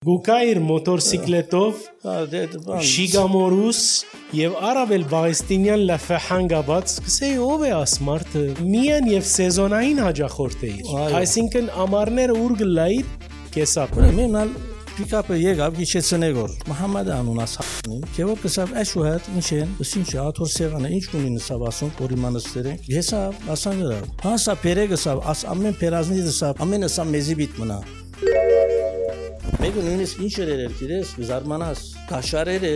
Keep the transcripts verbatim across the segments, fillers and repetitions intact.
Գուկայր մոտորսիկլետով շիգամորուս եւ առավել Բաղեստինյան լաֆահանգաբաց սկսեի ով է ասմարթը միան եւ սեզոնային հաջախորդ է այսինքն ամառները ուր գլայր կեսապ մենալ Պիկապը եկավ գիչեցնեգոր Մոհամմեդ անունաս հանի քեոր կսավ էշուհատ ինչեն ինչ աթոր սեղանը ինչ ունի նսավ ասում պորիմանստերը հեսա ասանգրա հասա պերեգսավ աս ամեն պերազնի դսավ ամենը սա մեզի բիտ մնա Մեկը նույնիսկ ինչ էր էր գիտես զարմանաս կաշարերը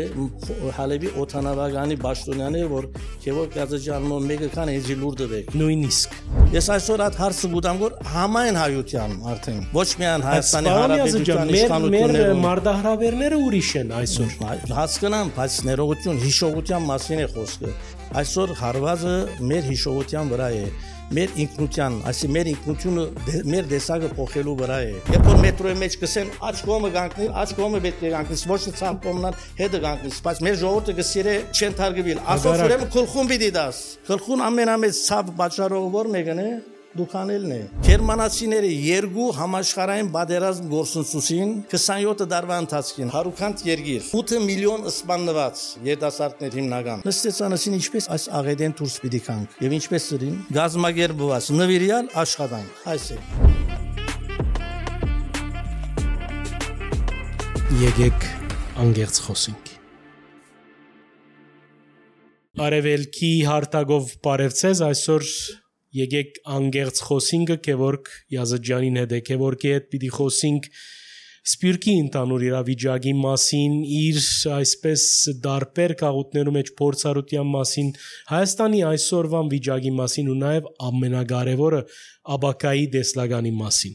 հալեվի օթանավականի Բաշտոնյաները որ քեոր գազջանմո մեկը քան էջի լուրդը վեք նույնիսկ ես այսօր այդ հարցը գուտամ որ համայն հայության արդեն ոչ միայն Հայաստանի Հանրապետության իշխանությունները մեր մարդահրավերները ուրիշ են այսօր հասկանամ բայց ներողություն հիշողության մասին է խոսքը այսօր հարվածը մեր հիշողության վրա է մեր ինքնության, այսի մեր ինքնությունը մեր դեսագը փոխելու վրա է։ Երբ որ մետրոյի մեջ կսեն աչ կողմը գանքնի, աչ կողմը պետք է գանքնի, ոչ թե ցավ կողմնան հետը գանքնի, բայց մեր ժողովուրդը գսիրե չեն թարգվել։ Ասոց ուրեմն քլխուն պիտի դաս։ Քլխուն ամենամեծ ցավ պատճառով որ մեկն է դուքանելն է։ Գերմանացիները երկու համաշխարհային բادرազմ գործընծուսին քսանյոթ դարվա ընթացքին հարուքանտ երգիր ութ միլիոն սպանված երիտասարդներ հիմնական նստեցանասին ինչպես այս աղեդեն դուրս պիտի կանք եւ ինչպես սրին գազագերբված նվիրյալ աշխատանք այս է Եկեք անգերց խոսենք Արևելքի հարտագով բարևցես այսօր Եկեք անգերց խոսինքը Քևորգ Յազջյանին հետ է Քևորգի հետ պիտի խոսենք Սպիրկի ընդանուր իրավիճակի մասին իր այսպես դարբեր քաղաքներու մեջ փորձառության մասին Հայաստանի այսօրվան վիճակի մասին ու նաև ամենակարևորը աբակայի դեսլագանի մասին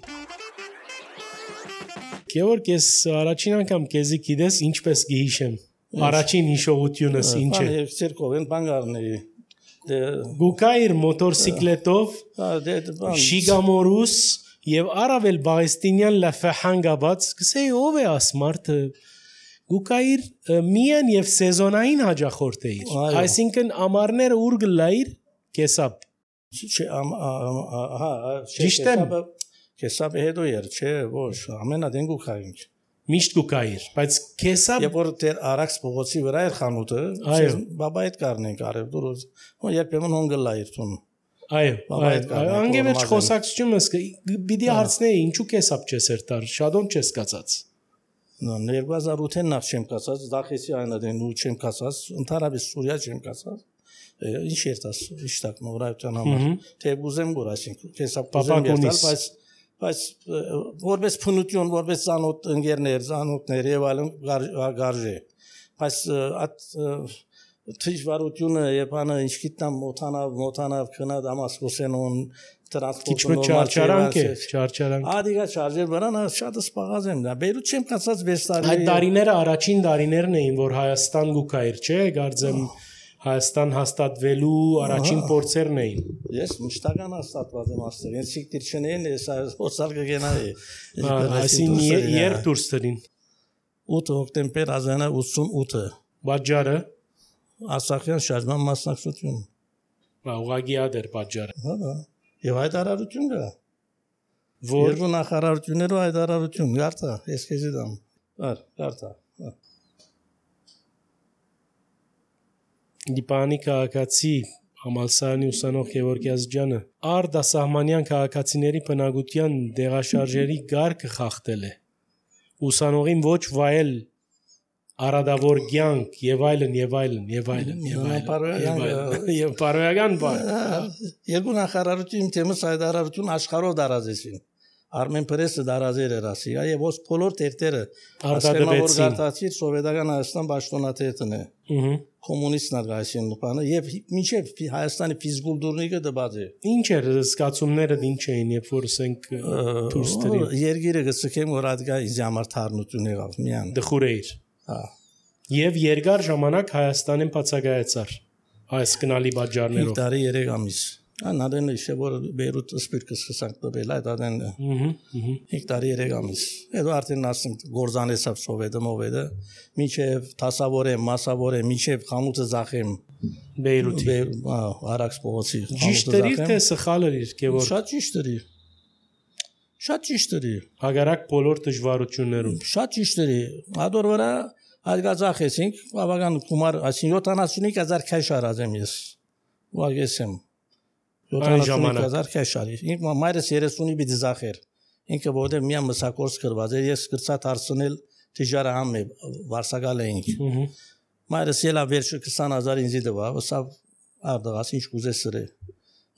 Քևորգ ես առաջին անգամ քեզի գիտես ինչպես գիհիշեմ առաջին հիշողությունս ինչ է Բան երկերկով են բան գարների Գուկայր մոտորսիկլետով շիգամորուս եւ առավել Բաղեստինյան լաֆահանգաբաց սկսեի ով է ասմարթը Գուկայր միան եւ սեզոնային հաջախորդ է այսինքն ամառները ուր գլայր կեսապ հա ճիշտ է կեսապ հետո էր չէ ոչ ամենադեն գուկայր Միշտ գուկայր, բայց կեսապ Երբ որ դեր Արաքս փողոցի վրա էր խանութը, բաբա այդ կարնենք արև դուրս, ու երբեմն հոնգլայր տուն։ Այո, այո, անգևերջ խոսակցությունս պիտի հարցնեի, ինչու կեսապ չես երթար, շադոն չես կացած։ երկու հազար ութ-ին նախ չեմ կացած, Դախեսի այնադեն ու չեմ կացած, ընդհանրապես Սուրիա չեմ կացած։ Ինչ երթաս, իշտակ նորայության համար։ Թե ուզեմ գոր, այսինքն կեսապ կուզեմ երթալ, բայց Բայց որպես փնություն, որպես ցանոթ ընկերներ, ցանոթներ եւ այլն գարժե։ Բայց այդ դժվարությունը եւ անը ինչ գիտեմ մոթանավ, մոթանավ քնա Դամասկոսենոն տրանսպորտը նորմալ չարանք է, չարչարանք։ Ադիգա շարժեր վրան շատ սպաղած եմ դա։ Բեյրութ չեմ կացած վեց տարի։ Այդ տարիները առաջին տարիներն էին, որ Հայաստան գուկայր, չէ, գարձեմ Հայաստան հաստատվելու առաջին փորձերն էին։ Ես մշտական հաստատված եմ աստեղ։ Ես ցիկտիր չնեին, ես օսալ կգենայի։ Այսինքն երբ դուրս տրին։ ութ հոկտեմբեր ազանա ութսունութը։ Բաժարը Արցախյան շարժման մասնակցություն։ Բա ուղղակի ադեր բաժարը։ Հա։ Եվ այդ արարություն կա։ Որ երկու նախարարություններով այդ արարություն գարտա, ես քեզի դամ։ Բար, գարտա։ Դիպանի քաղաքացի Համալսարանի ուսանող Գևորգ Յազջյանը արդասահմանյան քաղաքացիների բնակության դեղաշարժերի գարկը խախտել է ուսանողին ոչ վայել արադավոր կյանք եւ այլն եւ այլն եւ այլն եւ այլն եւ բարոյական բան երկու նախարարություն թեմս այդ արարություն աշխարհով դարազեցին Armen Press-ը դարազեր էր ասի, եւ ոս բոլոր տերտերը արտադրեցին գարտացի սովետական Հայաստան պաշտոնաթերթն է։ Ահա կոմունիստներ գայսին նպանը եւ մինչեւ Հայաստանի ֆիզկուլտուրնիկը դբած է։ Ինչ էր զգացումները ինչ էին, երբ որ ասենք դուրս տրի։ Երգիրը գցկեմ որ ադգա ինձ համար թարնություն եղավ միան։ Դխուրեիր։ Հա։ Եվ երկար ժամանակ Հայաստանին բացակայեցար այս կնալի բաժարներով։ Տարի երեք ամիս։ Անադեն իշե որ Բեյրութ սպիրկը սկսանք տվել այդ adեն հեկտարի երեք ամիս հետո արդեն ասենք գործանեցավ սովետը մովետը միջև տասավորե մասավորե միջև խանութը զախեմ Բեյրութի Արաքս փողոցի ճիշտ էր թե սխալ էր Գևորգ շատ ճիշտ էր Շատ ճիշտ է։ Հագարակ բոլոր դժվարություններում։ Շատ ճիշտ է։ Ադոր վրա այդ գազախեցինք, բավական գումար, այսինքն յոթանասունհինգ հազար քաշ արածեմ ես։ Ուղղակիեմ։ յոթանասունհինգ հազար քաշ արի։ Ինք մայրս երեսունի պիտի զախեր։ Ինքը որտեղ միա մսակորս կրված էր, ես գրծած արցնել դժարահամ է, վարսակալ էինք։ Մայրս ելա վերջը քսան հազար ինձի տվա, սա արդղաս ինչ կուզես սրե։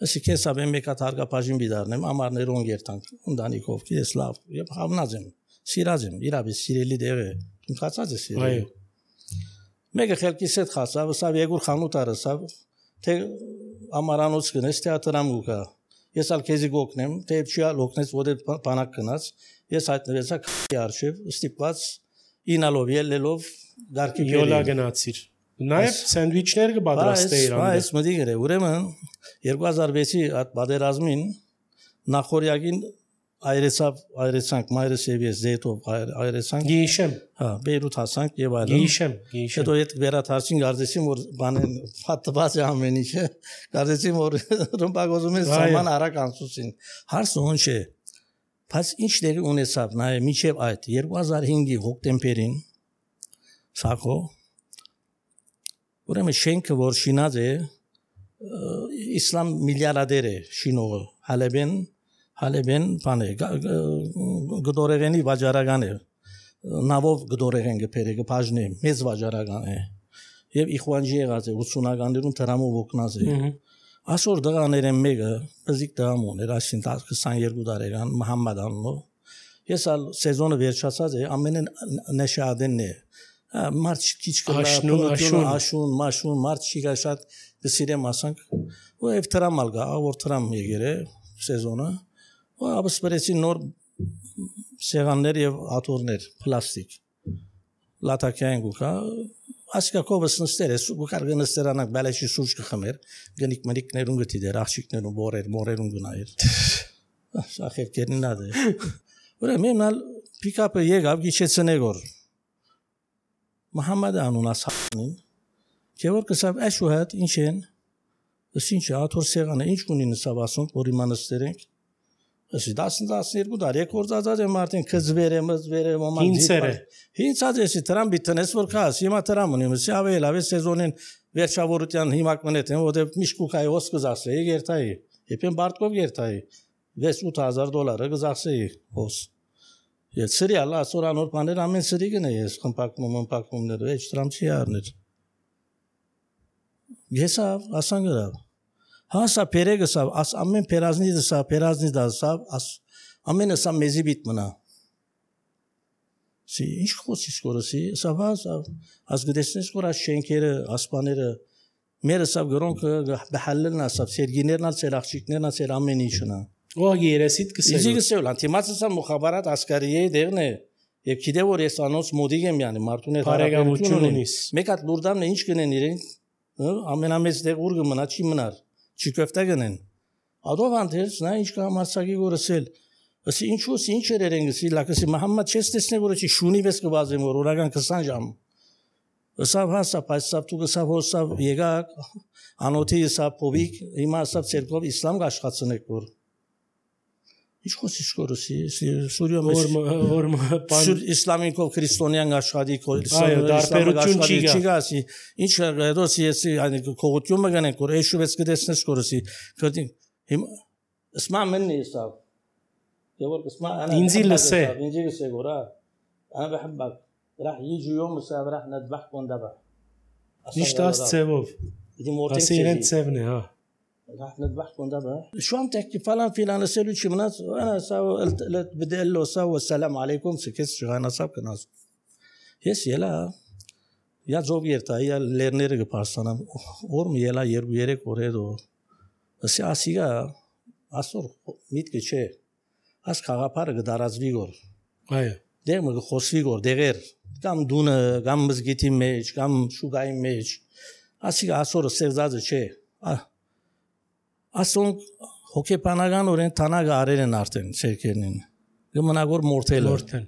Ասի քեզ ավ մեկ հատ հարգապաշին բիդարնեմ, ամառներուն երթանք, ընտանիքով, ես լավ, եւ հավնած եմ, սիրած եմ, իրավի սիրելի դեղ է, դու խացած ես սիրելի։ Մեկը խելքիս հետ խացավ, սա եգուր խանութ արսավ, թե ամարանոց գնես թեատրամ գուկա։ Ես ալ քեզի գոկնեմ, թե չի լոկնես ոդե բանակ գնաց, ես հայտնվեցա քի արշիվ, ստիպված ինալով ելելով դարքի յոլա գնացիր։ Նաև սենդվիչներ կպատրաստեիր անդր։ Այս մտի գրե, ուրեմն երկու հազար վեցի այդ բادرազմին նախորյակին այրեցավ, այրեցանք մայրս եւ ես զետով այրեցանք։ Գիշեմ։ Հա, Բեյրութ հասանք եւ այլն։ Գիշեմ, գիշեմ։ Հետո այդ վերաթարցին գարձեցին որ բանեն ֆատված է ամեն ինչը։ Գարձեցին որ ռմբագոզում են սաման արակ անցուցին։ Հարցը ոնց է։ Բայց ինչ դերի ունեցավ նայ միջև այդ երկու հազար հինգի հոկտեմբերին սակո ուրեմն շենքը որ շինած է իսլամ միլիարդեր է շինողը Հալեբեն Հալեբեն բանը գդորեղենի վաճառական է նավով գդորեղեն գբերը գբաժնի մեծ վաճառական է եւ իխուանջի եղած է ութսունականներուն դրամով օգնած է ասոր դղաներեն մեկը բզիկ դրամ ուներ ասին քսաներկու տարեկան Մուհամմադ անունով ես ալ սեզոնը վերջացած է ամենն նշադենն է մարդ քիչ կլա աշուն մաշուն մարդ շիգա շատ դսիրեմ ասանք ու եւ դրամալ գա որ դրամ եկերը սեզոնը ու ապսպրեցի նոր սեղաններ եւ աթոռներ պլաստիկ լատակային գուկա ասկակովս նստեր է ու կարգ նստերանակ բալեշի սուրճ կխմեր գնիկ մնիկներուն գտի դեր աղջիկներուն բորեր մորերուն գնայր շախեր կերնադ է ուրեմն ալ պիկապը եկավ գիչեցնեգոր Մուհամմադ անունաս հանին Գևոր կսավ այշու հետ ինչ են ինչ աթոռ սեղանը ինչ ունի նսավ ասում որ իմանստեր ենք Ասի տասնյակներկու տարի կորցածած եմ արդեն քզվեր եմ զվեր եմ ոմանք Հինցերը Հինցած էսի դրամ բիտնես որ քաս հիմա դրամ ունիմ սի ավել ավել սեզոնին վերջավորության հիմակ մնետ են որտեվ միշկուկայի ոս կզասեի գերտայի եփեն բարտկով գերտայի վեց ութ հազար դոլարը կզասեի ոս Ես սրիալ ասորանոր բաներ ամեն սրի գնե ես խմպակում խմպակումներ էջ դրամ չի առներ Եսա ասան գրավ Հասա պերեգսա աս ամեն պերազնի դսա պերազնի դասա աս ամենը սա մեզի բիտ մնա Սի ինչ խոսի սկորսի սա վաս աս գտեսնես որ աս շենքերը ասպաները մերը սա գրոնքը բհալլն ասա սերգիներն ալ սերախչիկներն ալ սեր ամեն ինչնա Ու երեսիդ կսել Իզի գսել անտիմացսա մուխաբարատ ասկարիե դերն է եւ գիտե որ ես անոնց մոդիկ եմ յանի մարտուն է բարեկամություն ունիս մեկ հատ լուրդամն ինչ կնեն իրեն ամենամեծ դեղ ուր կմնա չի մնար չի կոֆտա գնեն ադով անտերս նա ինչ կա մասակի գորսել ասի ինչու ինչ երեն գսի լակսի Մուհամմադ չես տեսնե որ չի շունի վես կվազեմ որ օրական քսան ժամ Սավ հասա պայսավ դու գսավ հոսավ եկա անոթի սա փովիկ հիմա սա ցերկով իսլամ աշխատցնեք որ Ինչ խոսի սկորսի Սուրիա մեջ իսլամիկով քրիստոնյան աշխատի դարբերություն չի չի գասի ինչ ռոսի էսի այն կողությունը գանենք որ էշու վեց կդեսնես սկորսի քրտին հիմա ասմա մենի սավ Գևոր ասմա ինձի լսե ինձի լսե գորա انا بحبك راح يجي يوم السبت راح نذبحكم ذبح Միշտ աս ծևով ասի իրեն ծևն է հա راح نذبحكم ذبح شو عم تحكي فلان فلان اسالو شي مناس انا ساو قلت بدي اقول له ساو السلام عليكم سكت شغانا صاب كناس يس يلا يا زوب يرتا يا ليرنير كبارسانا اور يلا يربو يرك اوريدو اسي اسيغا اسور ميت كچه اس خاغاپار գդարածվի գոր այո դեր մը խոսվի գոր դեղեր կամ դունը կամ մզգիտի մեջ կամ շուգայի մեջ ասիգա ասորը սերզածը չէ ասոն հոկեբանական օրեն տանագը արել են արդեն ցերկերնին գմնագոր մորթել մորթել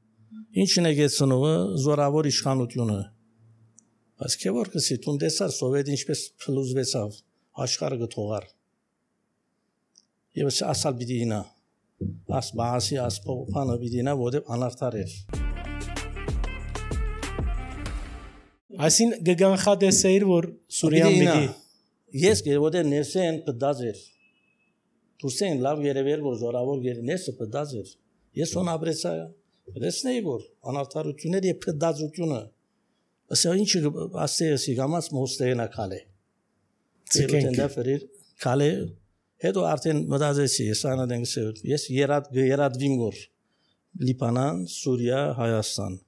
ինչն է գեցնողը զորավոր իշխանությունը բայց քեվոր կսի տունդեսար սովետ ինչպես փլուզվեցավ աշխարհը գթողար եւ ասալ պիտի ինա աս բահասի ասփոփանը բիդինա որտեղ անարդար էր Այսին գգանխադեսեիր որ Սուրիան պիտի ես գերոդե ներսեն պդազեր Դուրսեն լավ երևեր որ զորավոր գերնեսը պդազեր ես on ապրեցա դեսնեի որ անարդարությունները եւ պդազությունը ասա ինչ ասեի գամած մոստերնա կալե Ցիկենկա ֆերիր կալե հետո արդեն մտածեցի ես անադենգսը ես երադ երադվին գոր Լիբանան Սուրիա Հայաստան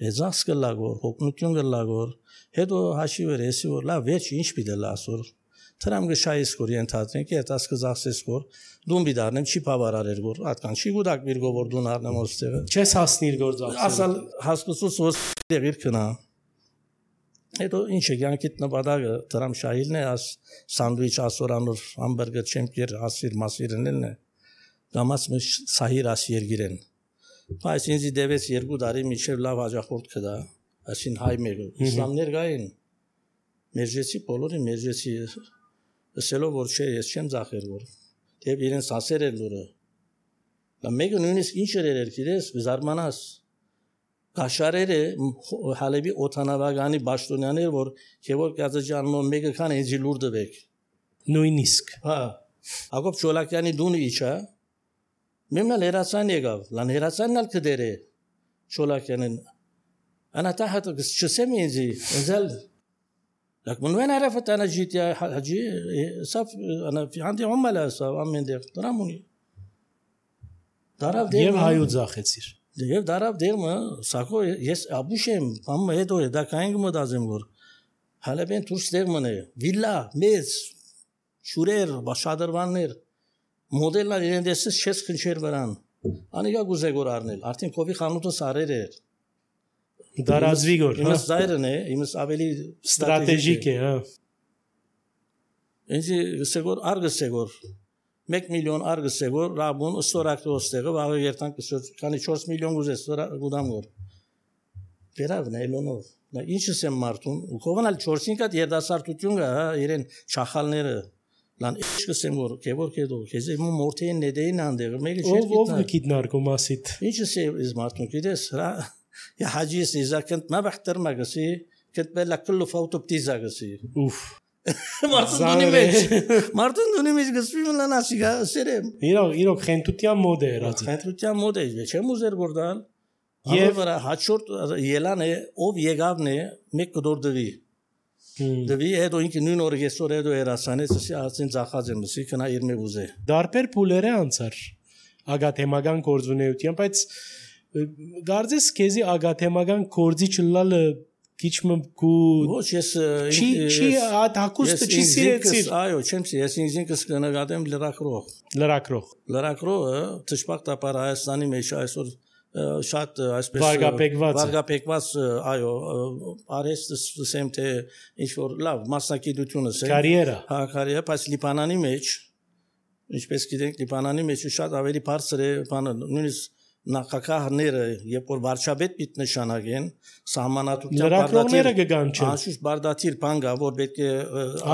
Եզաս կլագոր, հոգնություն կլագոր, հետո հաշի վեր եսի որ լավ վերջ ինչ պիտի լասոր, թրամ գշայիս գոր ենթադրենք, ետ ասկը զաղսես գոր, դուն բիդարնեմ չի պավարար էր գոր, ատկան չի գուդակ բիր գովոր դուն արնեմ ոստեղը։ Չես հասնիր գոր զաղսել։ Ասալ հասկուսուս ոստեղ իր կնա։ Հետո ինչ է գյանքիտ նպադագը թրամ շայիլն է, աս սանդվիչ ասորանոր համբերգը չեմպիր ասիր մասիրնելն է, գամաց միշ սահիր աս երգիրեն։ Բայց ինձ դեվեց երկու տարի միջև լավ հաջախորդ կդա, այսին հայ մեկը, իսլամներ գային, մերջեցի բոլորի մերջեցի, ասելով որ չէ, ես չեմ ձախեր որ, դեպ իրենց ասեր էր լուրը, մեկը նույնիսկ ինչ էր էր կիրես, զարմանաս, կաշարերը հալեբի օթանավագանի բաշտոնյան էր, որ կևոր կազաջանմոն մեկը կան ինձի լուր դվեք։ Նույնիսկ։ Հա, ակոպ չոլակյանի դունը իչա, Մեմնա լերացան եկավ, լան հերացանն ալ կդեր է, շոլակյանին, անա տա հատը չսեմ ինձի, ինձալ, լակ մնվեն արեվտ անա ժիտյա հաջի, սավ, անա հանդի հոմալ է սավ, ամեն դեղ, դրամ ունի, դարավ դերմը, և հայու ձախեցիր, և դարավ դերմը, սակո ես աբուշ եմ, ամը հետո է, դա կայինգ մդազեմ որ, հալեբեն թուրս դերմն է, վիլլա, մեծ, շուրեր, բաշադրվաններ, Մոդելներ իրեն դեսես չես խնչեր վրան, անիգա գուզե գոր արնել, արդեն կովի խանութը սարեր էր։ Դարազվի գոր, հա։ Իմս զայրն է, իմս ավելի ստրատեժիկ է, հա։ Ինձի գսեգոր, ար գսեգոր, մեկ միլիոն ար գսեգոր, ռաբուն, ստորակտը ոստեղը, վաղը երտան կսոց, կանի չորս միլիոն գուզես, գուդամ գոր։ Վերավ նայլոնով, ինչս եմ մարդուն, ու կովն ալ չորսին կատ երդասարտություն գա, իրեն չախալները, Լան ինչ կսեմ որ կևոր կեդո քեզի մո մորթեին նեդեին անդեղը մեկը չէ գիտնա ով գիտնար կոմասիտ ինչս է իզ մարդուն գիտես յա հաջիս իզակնտ մաբախտր մագասի կտբելա կլու ֆաուտոպտիզա գսի ուֆ մարդուն դունի մեջ մարդուն դունի մեջ գսվի մլանասիգա սերեմ իրոք իրոք խենտության մոդ է եղած խենտության մոդ է չեմ ուզեր գորդալ եւ վրա հաջորդ ելան է ով եկավն է մեկ կդորդվի Դվի հետո ինքը նույն օրը այսօր հետո երասանեց ասի ասին ցախած եմ ասի քնա իր մե ուզե Դարբեր փուլերը անցար ագաթեմական կորձունեության բայց գարձես քեզի ագաթեմական կորձի չլալը քիչմ կու ոչ ես չի չի հակուստը չի սիրեցիր այո չեմ սի ես ինքս կնկատեմ լրակրող լրակրող լրակրողը ճշմարտաբար Հայաստանի մեջ այսօր շատ այսպես վարգապեկված վարգապեկված այո արեստը սեմ թե ինչ որ լավ մասնակցությունը է կարիերա հա կարիերա բայց Լիբանանի մեջ ինչպես գիտենք Լիբանանի մեջ շատ ավելի բարձր է բանը նույնիսկ նախագահները երբ որ վարչապետ պիտի նշանակեն սահմանատվության լրակրողները կգան չէ անշուշտ բարդաթիր բան գա որ պետք է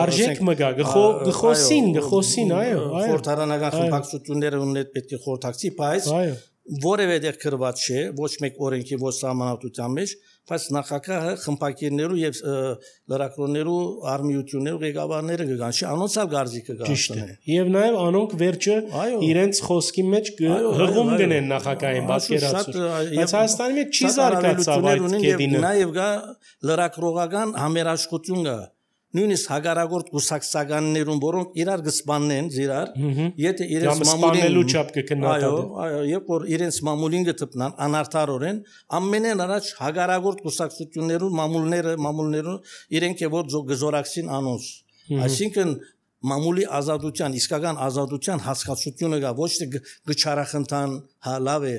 արժեք մգա գխոսին գխոսին այո այո խորհրդարանական խմբակցությունները ունեն պետք է խորհրդակցի բայց այո որևէ դեր կրված չէ ոչ մեկ օրենքի ոչ սահմանադրության մեջ բայց նախագահը խմբակիրներու եւ լրակրոններու արմիություններու ղեկավարները կգան չի անոնցալ գարձիկը գանցնեն եւ նաեւ անոնք վերջը իրենց խոսքի մեջ հղում գնեն նախագահային պատկերացուր բայց Հայաստանի մեջ չի զարգացավ այդ կետինը նաեւ գա լրակրողական համերաշխություն գա նույնիսկ հագարագործ գուսակցականներուն որոնք իրար գսպանեն իրար եթե իրենց մամուլին չափ կքննադատեն այո այո երբ որ իրենց մամուլին գտնան անարդարորեն ամենեն առաջ հագարագործ գուսակցություններուն մամուլները մամուլներուն իրենք է որ գզորակցին անոնց այսինքն մամուլի ազատության իսկական ազատության հասկացությունը գա ոչ թե գչարախնդան հա լավ է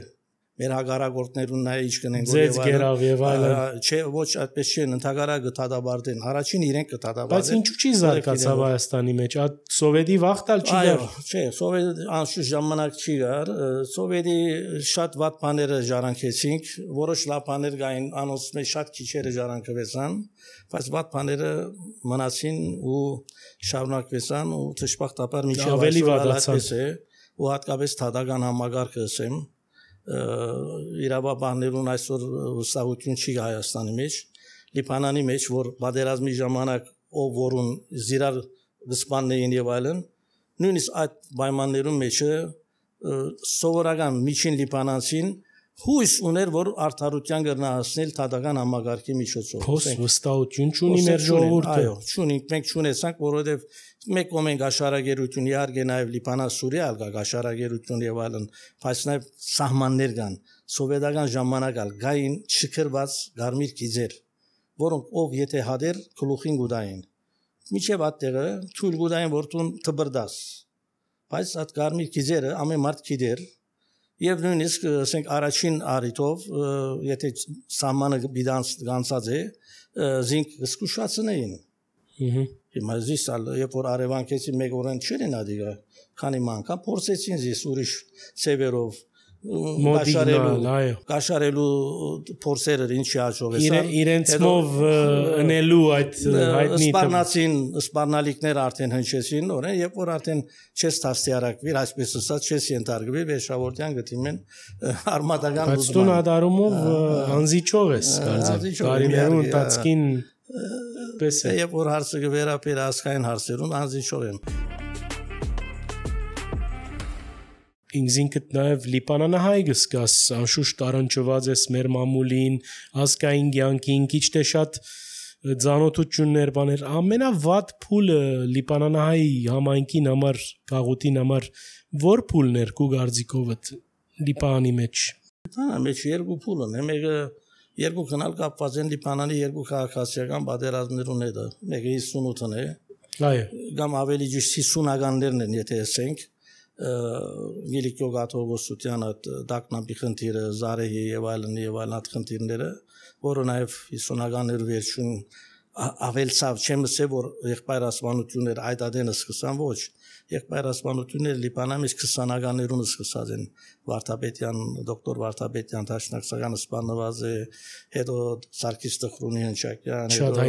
մեր հագարագործներուն նայ ինչ կնեն ձեզ գերավ եւ այլն չէ ոչ այդպես չէ ընդհանրակը կթադաբարդեն առաջին իրենք կթադաբարդեն բայց ինչու չի զարգացավ Հայաստանի մեջ այդ սովետի վախտալ չի գար չէ սովետ անշուշտ ժամանակ չի գար սովետի շատ վատ բաները ժառանգեցինք որոշ լավ բաներ կային անոնց մեջ շատ քիչերը ժառանգվեցան բայց վատ բաները մնացին ու շարունակվեցան ու ճշմարտաբար միջև ավելի վատացան ու հատկապես թադական համագարկը ասեմ իրավաբաններուն այսօր վստահություն չի Հայաստանի մեջ Լիբանանի մեջ որ պատերազմի ժամանակ ով որուն զիրար վսպաններին եւ այլն նույնիսկ այդ պայմաններում մեջը սովորական միջին լիբանանցին հույս ուներ որ արդարության կրնա հասնել թադական համագարկի միջոցով փոս վստահություն չունի մեր ժողովուրդը այո չունենք մենք չունեցանք որովհետեւ մեկ կողմեն գաշարագերություն իհարկե նաեւ Լիբանան Սուրիա ալգա գաշարագերություն եւ այլն բայց նաեւ սահմաններ կան սովետական ժամանակ ալ գային շքրված գարմիր գիզեր որոնք ով եթե հադեր գլուխին գուդային միջև այդտեղը թույլ գուդային որտուն թբրդաս բայց այդ գարմիր գիզերը ամեն մարդ գիտեր եւ նույնիսկ ասենք առաջին արիտով եթե սահմանը բիդանց գանցած է զինք զսկուշացնեին հիմա զիսալ երբ որ արևանքեցի մեկ օրեն չեն ադիգա քանի մանկա փորձեցին զիս ուրիշ սևերով մոդիգնալ այո կաշարելու փորձերը ինչի հաջողեցան իրենցմով ընելու այդ հայտնի սպառնացին սպառնալիքներ արդեն հնչեցին օրեն երբ որ արդեն չես տաստիարակվիր այսպես ասած չես ենթարկվի վեշավորտյան գտիմեն արմատական բայց դու նադարումով անզիչով ես կարծեմ բարիներու ընթացքին պես է երբ որ հարցը վերապեր ասկային հարցերուն անզիչով եմ ինքնին նաև Լիբանանահայ գսկաս անշուշտ առնչված ես մեր մամուլին ազգային կյանքին քիչ թե շատ ծանոթություններ բաներ ամենավատ փուլը Լիբանանահայ համայնքին համար գաղութին համար որ փուլներ կու գարձիկովդ Լիբանանի մեջ Լիբանանի մեջ երկու փուլ են մեկը երկու քնալ կապված են Լիբանանի երկու քաղաքացիական պատերազմներուն հետ մեկը հիսունութն է այո կամ ավելի ճիշտ հիսունականներն են եթե ասենք Գիլիկյո Գաթողոսության այդ դակնապի խնդիրը, Զարեհի եւ այլն եւ այլն այդ խնդիրները, որը նաեւ հիսունականներ վերջին ավելցավ չեմ ասել որ եղբայրասպանություններ այդ ադենը սկսան ոչ եղբայրասպանությունները Լիբանանից քսանականներուն սկսած են Վարդապետյան դոկտոր Վարդապետյան Տաշնակցականը սպանված է հետո Սարգիս Տխրունի հնչակյան հետո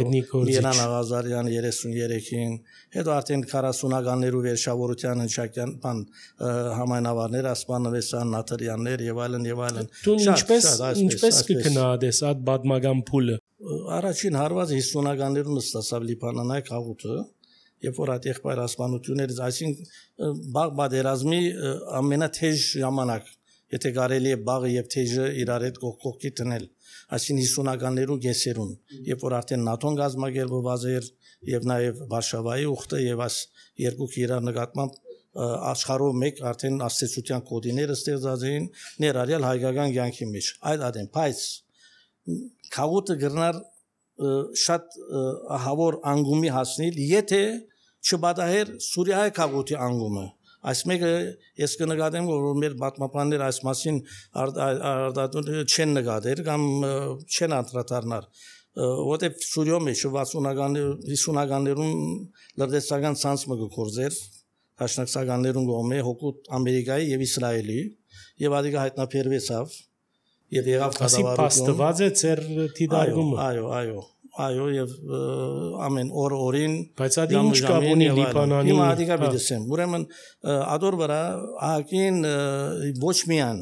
Միրան Աղազարյան երեսուններեքին հետո արդեն քառասունականներու վերջավորության հնչակյան բան համայնավարներ ասպանվեցան Նաթրյաններ եւ այլն եւ այլն դու ինչպես ինչպես կգնահատես այդ բադմական փուլը Առաջին հարվածը հիսունականներուն ստացավ Լիբանանայ քաղուտը, երբ որ այդ եղբայրասպանություններից, այսինքն բաղ բادرազմի ամենաթեժ ժամանակ, եթե կարելի է բաղը եւ թեժը իրար հետ կողքի տնել, այսինքն հիսունականներուն գեսերուն, երբ որ արդեն ՆԱՏՕ-ն գազմագերբված էր եւ նաեւ Վարշավայի ուխտը եւ այս երկու իրար նկատմամբ աշխարհով մեկ արդեն աստեցության կոդիները ստեղծած էին ներառյալ հայկական կյանքի մեջ։ Այդ ադեն, բայց Քաղուտը գրնար շատ հավոր անգումի հասնել, եթե չբադահեր Սուրիայի քաղուտի անգումը։ Այս մեկը ես կնկատեմ, որ մեր պատմաբաններ այս մասին արդյունք չեն նկատել կամ չեն անդրադառնալ, որտեղ Սուրիո մեջ վաթսունականներուն լրտեսական ցանցը գործեր, հաշնակցականներուն կողմէ հոգուտ Ամերիկայի եւ Իսրայելի եւ ադիգա հայտնաբերվեցավ Եվ եղավ կառավարություն։ Ասի փաստված է ծեր դիդարգումը։ Այո, այո, այո, եւ ամեն օր օրին բայց ադի ինչ կապ ունի Լիբանանի։ Հիմա ադիգա բիդեսեմ։ Ուրեմն ադոր վրա ահագին ոչ միան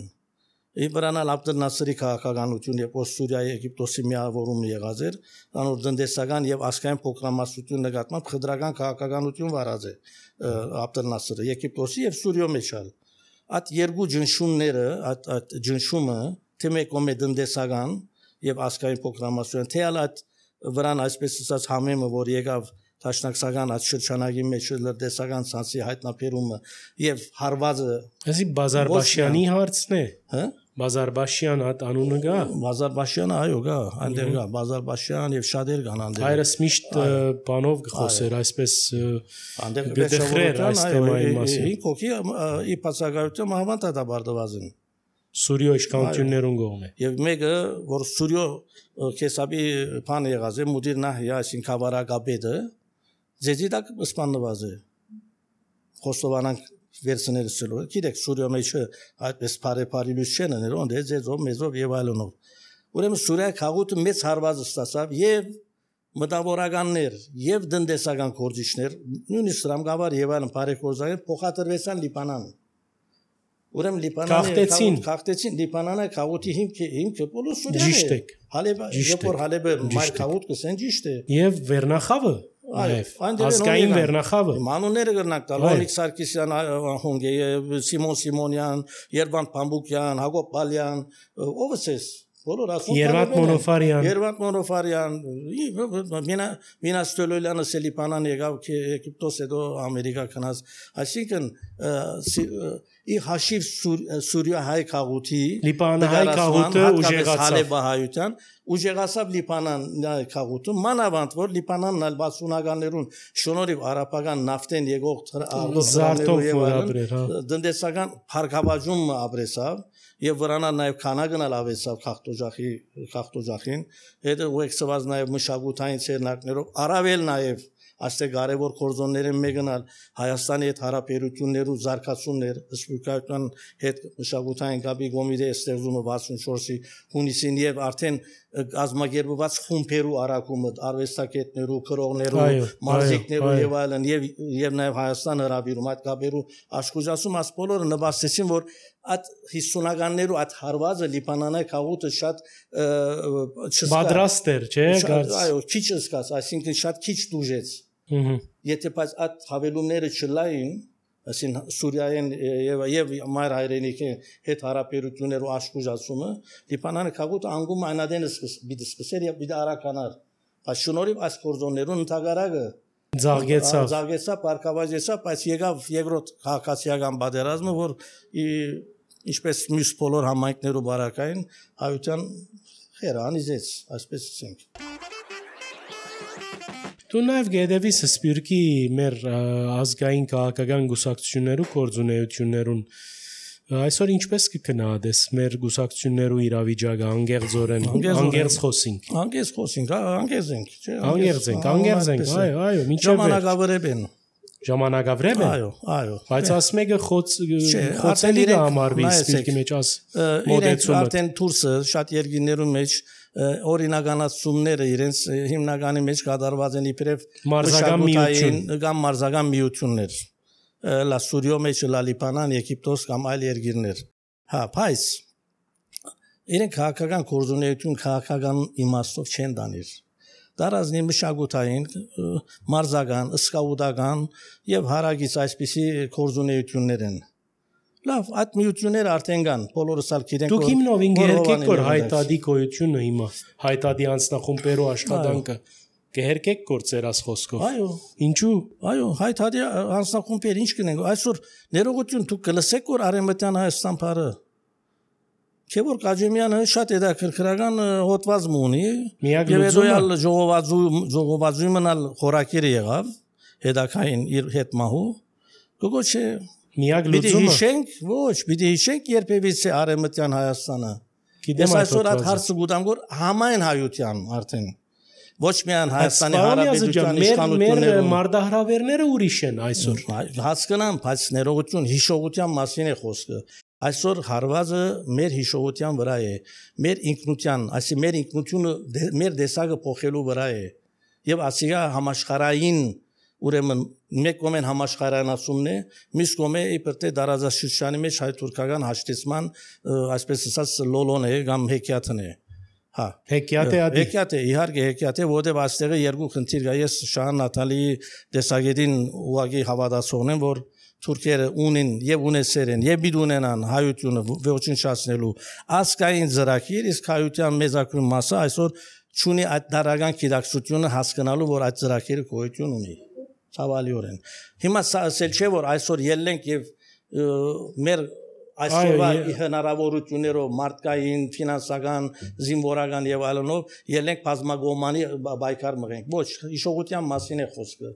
Իբրանալ Աբդել Նասերի քաղաքականություն եւ Սուրիայի Եգիպտոսի միավորումն եղած էր, անոր տնտեսական եւ աշխարհային փոքրամասնություն նկատմամբ խնդրական քաղաքականություն վարած է Աբդել Նասերը Եգիպտոսի եւ Սուրիո մեջ ալ։ Այդ երկու ջնշումները, այդ այդ ջնշումը թե մեկում է տնտեսական եւ աշխարհային փոքրամասնություն թե ալ վրան այսպես ասած համեմը որ եկավ Տաշնակցական այդ շրջանագի մեջ լրտեսական ցանցի հայտնաբերումը եւ հարվածը Այսի Բազարբաշյանի հարցն է հա Բազարբաշյան այդ անունը գա Բազարբաշյանը այո գա այնտեղ գա Բազարբաշյան եւ շատեր կան այնտեղ հայրս միշտ բանով գխոսեր այսպես գդխրեր այս թեմայի մասին ինքոքի ի բացակայություն մահվան տադաբարդվածին Սուրիո իշխանություններուն կողմէ եւ մեկը որ Սուրիո քեսաբի բան եղած է մուդիր նահյա այսին կավարակապետը ձեզիդակ սպանված է խոստովանանք վերցնել սլո գիտեք Սուրիո մեջ այդպես բարեփարիլուց չեն անել ոնդե ձեզով մեզով եւ այլնով ուրեմն Սուրիա քաղուտը մեծ հարված ստացավ եւ մտավորականներ եւ տնտեսական գործիչներ նույնիսկ Ռամգավար եւ այլն բարեգործներ փոխադրվեցան Լիբանան Ուրեմն Լիբանանը Քաղտեցին։ քաղտեցին Լիբանանը քաղուտի հիմքը հիմքը բոլոր Սուրիան է։ Ճիշտ եք։ Հալեբը Ճիշտ երբ որ եք, Հալեբը ճիշտ մայր եք։ քաղուտ կսեն ճիշտ է։ Եվ Վերնախավը նաև այնտեղ ազգային են Վերնախավը։ Մանուները կրնակ տալ Այո։ Օլիկ Սարգսյան Հունգե, Սիմոն Սիմոնյան, Երվանդ Փամբուկյան, Հակոբ Բալյան, ով էս բոլոր ասում Երվանդ Մոնոֆարյան։ Երվանդ Մոնոֆարյան, մինա մինա Ստոլոյանը Սելիպանան եկավ Եգիպտոս հետո Ամերիկա գնաց, այսինքն ի հաշիվ Սուրիա հայ քաղուտի Լիբանան հայ քաղուտը ուժեղացավ։ Հալեբահայության ուժեղացավ Լիբանան քաղուտը, մանավանդ որ Լիբանանն ալ վաթսունականներուն շնորհիվ արաբական նավթեն եկող զարթով որ ապրեր, հա։ Տնտեսական փառքաբաժում ապրեսավ եւ վրանա նաեւ քանակն ալ ավեցավ խախտոջախի խախտոջախին հետո ուեքսված նաեւ մշակութային ցերնակներով առավել նաեւ այստեղ կարևոր կորզոնները մեկնալ Հայաստանի հետ հարաբերություններու զարգացումներ սպյուրքական հետ մշակութային գաբի կոմիտե ստեղծումը վաթսունչորսի հունիսին եւ արդեն ազգագերբված խումբերու արակումը արվեստագետներու քրողներու մարզիկներու եւ այլն եւ եւ նաեւ Հայաստան հրավիրում այդ գաբերու աշխուժասում աս բոլորը նվաստեցին որ այդ հիսունականներու այդ հարվածը Լիբանանի քաղուտը շատ պատրաստ էր, չէ՞, այո, քիչ սկաց, այսինքն շատ քիչ դուժեց։ Եթե բայց այդ հավելումները չլային, ասին Սուրիայեն եւ եւ մայր հայրենիքի հետ հարաբերություններու աշխուժացումը, Լիբանանի քաղուտը անգում այնադենը բիդի սկսեր եւ բիդի արականար։ Բայց շնորհիվ այս կորզոններուն ընդհանրակը Զարգեցավ։ Զարգեցավ, բարգավաճեցավ, բայց եկավ երկրորդ քաղաքացիական պատերազմը, որ ինչպես մյուս բոլոր համայնքներու բարակային հայության խերը անիզեց, այսպես ասենք։ Դու նաև գեդեվիս սպյուրքի մեր ազգային քաղաքական գուսակցություններու կորձունեություններուն այսօր ինչպես կգնահատես մեր գուսակցություններու իրավիճակը անգերձորեն անգերձ խոսինք անգերձ խոսինք անգերձ ենք չէ անգերձ ենք անգերձ ենք այո այո մինչև ժամանակավրեպ են ժամանակավրեպ են այո այո բայց ասմեգը խոց խոցելի դա համարվի սպյուրքի մեջ աս մոդեցումը արդեն դուրսը շատ երկիներու մեջ օրինականացումները իրենց հիմնականի մեջ կատարված են իբրև մարզական միություն կամ մարզական միություններ լա Սուրիո մեջ լա Լիբանան, Եգիպտոս կամ այլ երկիրներ։ Հա, բայց իրենք քաղաքական կորզունեություն քաղաքական իմաստով չեն դանիր։ Դարազնի մշակութային, մարզական, սկաուտական եւ հարագից այսպիսի կորզունեություններ են։ Լավ, այդ միությունները արդեն կան, բոլորս ալ գիտենք։ Դուք հիմնով ինգերկեք որ հայտադի գոյությունը հիմա, հայտադի անձնախումբերու աշխատանքը կհերկեք գործեր աս խոսքով։ Այո, ինչու։ Այո, հայտարարի անձնախումբեր ինչ կնենք։ Այսօր ներողություն դուք կլսեք որ Արեմտյան Հայաստան բարը Չէ որ Կաջեմյանը շատ հետաքրքրական հոդված ունի։ Եվ հետոյալ ժողովածու ժողովածույմնալ խորակիրը եղավ հետաքային իր հետ մահու։ Գողոչե միակ լուծումը։ Պիտի հիշենք, ոչ, պիտի հիշենք երբևիցե Արեմտյան Հայաստանը։ Գիտեմ այսօր այդ հարցը գուտամ որ համայն հայության արդեն ոչ միայն Հայաստանի Հանրապետության իշխանությունները մեր մարդահրավերները ուրիշ են այսօր հասկանամ բայց ներողություն հիշողության մասին է խոսքը այսօր հարվածը մեր հիշողության վրա է մեր ինքնության այսի մեր ինքնությունը մեր դեսագը փոխելու վրա է եւ ասիգա համաշխարային ուրեմն մեկ կողմեն համաշխարհայնացումն է մյուս կողմը իբր թե դարաձաշրջանի մեջ հայ-թուրքական հաշտեցման այսպես ասած լոլոն է կամ հեքիաթն է Հա, հեքիաթ է ադի։ Հեքիաթ է, իհարկե հեքիաթ է, որտեղ այստեղը երկու խնդիր կա։ Ես Շահան Նաթալիի տեսակետին ուղղակի հավատացողն եմ, որ թուրքերը ունեն եւ ունեցել են եւ պիտի ունենան հայությունը ոչնչացնելու ազգային ծրագիր, իսկ հայության մեծակույն մասը այսօր չունի այդ դարական գիտակցությունը հասկանալու, որ այդ ծրագիրը գոյություն ունի։ Ցավալիորեն։ Հիմա սա ասել չէ, որ այսօր ելնենք եւ մեր այսօրվա հնարավորություններով մարդկային, ֆինանսական, զինվորական եւ այլնով ելնենք բազմագոմանի բայկար մղենք։ Ոչ, հիշողության մասին է խոսքը։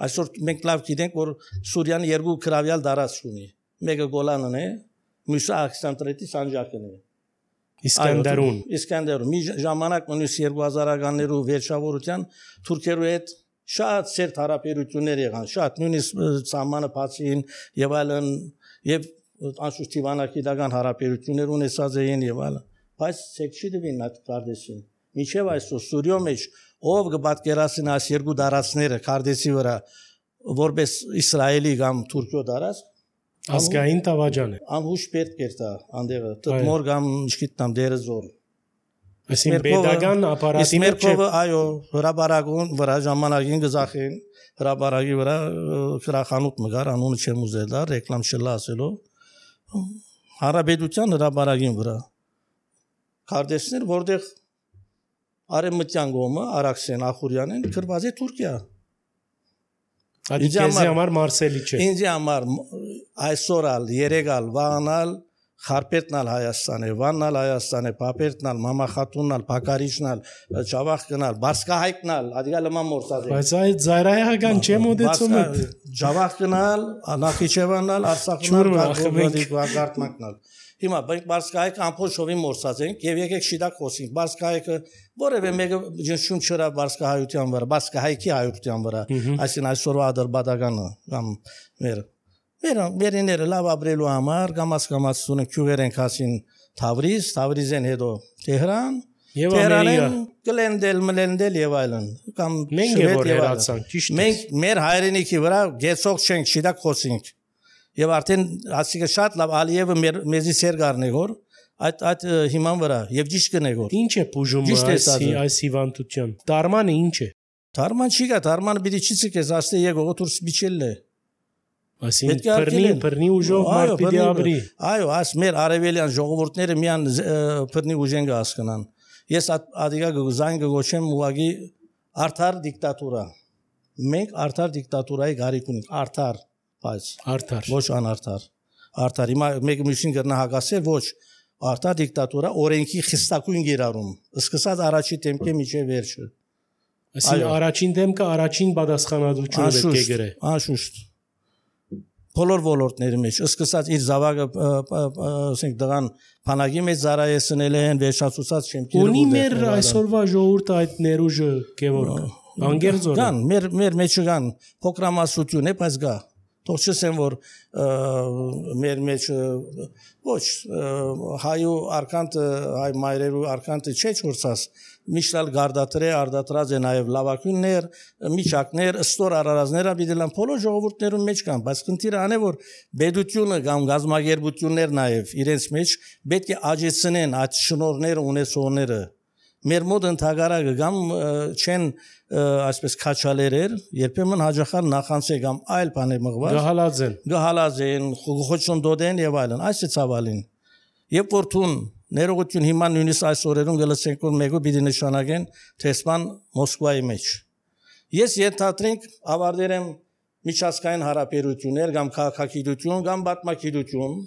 Այսօր մենք լավ գիտենք, որ Սուրիան երկու քրավյալ դարած ունի։ Մեկը Գոլանն է, մյուսը Աքսանտրետի Սանջակն է։ Իսկանդարուն։ Իսկանդարուն։ Մի ժամանակ մնուս երկու հազարականներու վերջավորության թուրքերու հետ շատ սերտ հարաբերություններ եղան, շատ նույնիսկ սահմանը բացին եւ այլն եւ անշուշտ դիվանագիտական հարաբերություններ ունեցած էին եւ այլն, բայց սեքշի դվին այդ կարդեսին։ Մինչեւ այսօր Սուրիո մեջ ով կպատկերացնի այս երկու դարածները կարդեսի վրա որպես Իսրայելի կամ Թուրքիո դարած, Ազգային տավաճան է։ Անհուշ պետք էր դա անդեղը տմոր կամ ինչքիտնամ դերզոր։ Այսինքն pedagogan ապարատի մեջ Մերկովը այո հրաբարագուն վրա ժամանակին գզախին հրաբարագի վրա քրախանութ մգար անունը չեմ ուզել դա ռեկլամ չլա ասելով հարաբերության հրաբարագին վրա քարտեզներ որտեղ արեմտյան գոմը Արաքսեն Ախուրյանեն գրված է Թուրքիա Ադիքեզի համար Մարսելի չէ Ինձ համար այսօրալ երեգալ վաղանալ Խարպետնալ Հայաստան է, Վաննալ Հայաստան է, Պապերտնալ, Մամախատուննալ, Փակարիչնալ, Ջավախկնալ, Բարսկահայկնալ, Ադիգալման մորսած է։ Բայց այդ զայրայական չէ մոդեցումը։ Ջավախկնալ, Նախիջևաննալ, Արցախնալ, Գարտմակնալ։ Հիմա մենք Բարսկահայկը ամփոփշովի մորսած ենք եւ եկեք շիդակ խոսենք։ Բարսկահայկը որևէ մեկը ջնշում չրա Բարսկահայության վրա, Բարսկահայքի հայության վրա, այսինքն այսօրվա ադրբադականը կամ մեր Մեր մերիները լավ ապրելու համար կամաց-կամաց ունեն քյուղեր են հասին Թավրիզ, Թավրիզեն հետո Տեհրան, Տեհրանեն Գլենդել, Մլենդել եւ այլն կամ մենք որ հերացանք, ճիշտ է։ Մենք մեր հայրենիքի վրա գեցող չենք, շիդակ խոսենք։ Եվ արդեն ասիկը շատ լավ Ալիևը մեր մեզի սերգարն է որ այդ այդ հիման վրա եւ ճիշտ կնեգոր։ Ինչ է բուժումը այս այս հիվանդության։ Դարմանը ինչ է։ Դարման չի գա, դարմանը պիտի չի ցկես, աստե եկող դուրս միջել է։ Այսինքն բռնի բռնի ուժով մարդ պիտի ապրի։ Այո, այս մեր արևելյան ժողովուրդները միան բռնի ուժեն կհասկանան։ Ես ադիգա գուզայն գոչեմ ուղագի արդար դիկտատուրա։ Մենք արդար դիկտատուրայի գարիք ունենք, արդար, բայց արդար։ Ոչ անարդար։ Արդար հիմա մեկ մյուսին կրնա հագասել, ոչ արդար դիկտատուրա օրենքի խստակույն գերարում։ Սկսած առաջի դեմքե միջև վերջը։ Այսինքն առաջին դեմքը առաջին պատասխանատվությունը պետք է գրե։ Անշուշտ բոլոր ոլորտների մեջ սկսած իր զավակը ասենք դրան փանագի մեջ զարայեցնել են վերջացուցած չեմքերը ունի մեր այսօրվա ժողովուրդը այդ ներուժը Գևորգ անգերձոր կան մեր մեր մեջ կան փոքրամասնություն է բայց գա թող չսեմ որ մեր մեջ ոչ հայու արքանտը հայ մայրերու արքանտը չէ չորսած միշտալ գարդատրե արդատրած է նաև լավակույններ միջակներ ստոր արարածները բիդելան բոլոր ժողովուրդներում մեջ կան բայց քննիրը անե որ բեդությունը կամ գազագերբություններ նաև իրենց մեջ պետք է աջեցնեն այդ շնորհները ունեցողները մեր մոտ ընդհանրակը կամ չեն այսպես քաչալերեր երբեմն հաջախար նախանցե կամ այլ բաներ մղված գահալաձեն գահալաձեն խոչոնդոդեն եւ այլն այս է ցավալին եւ որթուն ներողություն հիմա նույնիսկ այս օրերուն գլսենք որ մեկը պիտի նշանակեն տեսման Մոսկվայի մեջ ես ենթադրենք ավարտել եմ միջազգային հարաբերություններ կամ քաղաքագիտություն կամ պատմագիտություն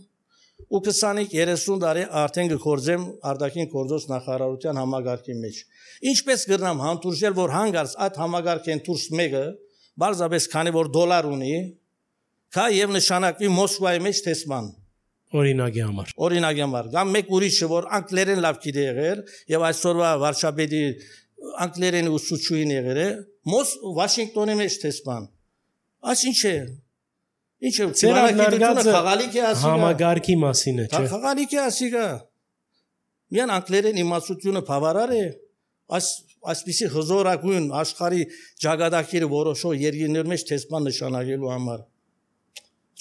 ու քսանինք երեսուն տարի արդեն գործեմ արտաքին գործոս նախարարության համագարկի մեջ ինչպես գրնամ հանդուրժել որ հանգարց այդ համագարկեն դուրս մեկը բարձրապես քանի որ դոլար ունի կա եւ նշանակվի Մոսկվայի մեջ տեսման օրինակի համար օրինակի համար կամ մեկ ուրիշը որ անգլերեն լավ գիտի եղեր եւ այսօրվա վարշապետի անգլերեն ուսուցչուին եղեր է մոս Վաշինգտոնի մեջ տեսման այս ինչ է Ինչ է ցերագիտությունը խաղալիք է ասիգա համագարկի մասին է չէ խաղալիք է ասիգա միան անգլերեն իմացությունը բավարար է այս այսպիսի հզորագույն աշխարհի ճակատագիրը որոշող երկրների մեջ տեսման նշանակելու համար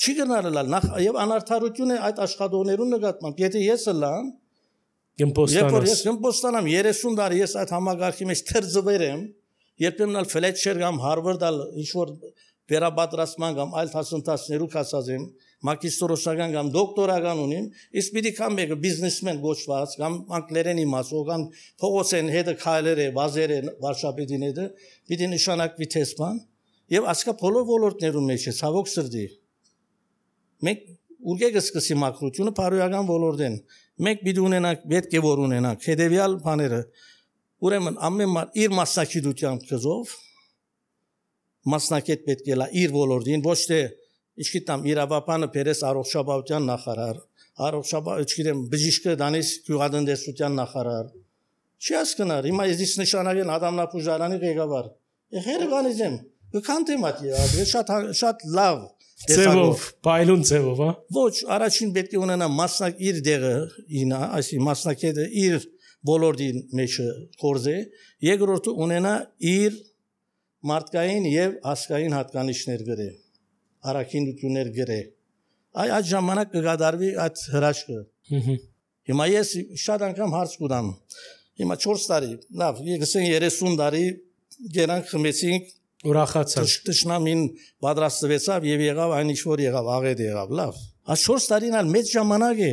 չի գնալալ նախ եւ անարդարությունը այդ աշխատողներուն նկատմամբ եթե ես լամ գմպոստանաս ես գմպոստանամ երեսուն տարի ես այդ համագարկի մեջ թրձվեր եմ երբեմն ալ Ֆլետչեր կամ Հարվարդ ինչ որ վերաբադրացման կամ այլ դասընթացներու կասած եմ մագիստրոսական կամ դոկտորական ունիմ իսկ պիտի կամ մեկը բիզնեսմեն գոչված կամ անգլերեն իմացող կամ փողոցեն հետը քայլերը վազերը վարշապետին հետը պիտի նշանակվի տեսման եւ ասկա բոլոր ոլորտներում մեջ է ցավոք սրտի մենք ուղեկը սկսի մակրությունը բարոյական ոլորտեն մենք պիտի ունենանք պետք է որ ունենանք հետեւյալ բաները ուրեմն ամեն մար իր մասնակցությամբ կզով մասնակետ պետք է լա իր ոլորտին ոչ թե ինչքիթամ իրավապանը Պերես առողջապահության նախարար առողջապահ ինչքիթեմ բժիշկը դանիս գյուղատնտեսության նախարար չի հասկնար հիմա ես նշանակեն Ադամնապուժարանի ղեկավար եղերը կանիզեմ կքանտեմ այդ շատ շատ լավ ծևով պայլուն ծևով հա ոչ առաջին պետք է ունենա մասնակ իր դեղը ինա այսի մասնակետը իր ոլորտին մեջ կորզե երկրորդը ունենա իր մարդկային եւ ասկային հատկանիշներ գրե, առաքինություններ գրե, Այ այդ ժամանակ կգադարվի այդ հրաշքը։ Հիմա ես շատ անգամ հարց կունեմ։ Հիմա չորս տարի, լավ, եկսեն երեսուն տարի գերանք խմեցինք, ուրախացավ։ Տշնամին պատրաստվեցավ եւ եղավ այն ինչ որ եղավ, աղետ եղավ, լավ։ Այս չորս տարին ալ մեծ ժամանակ է։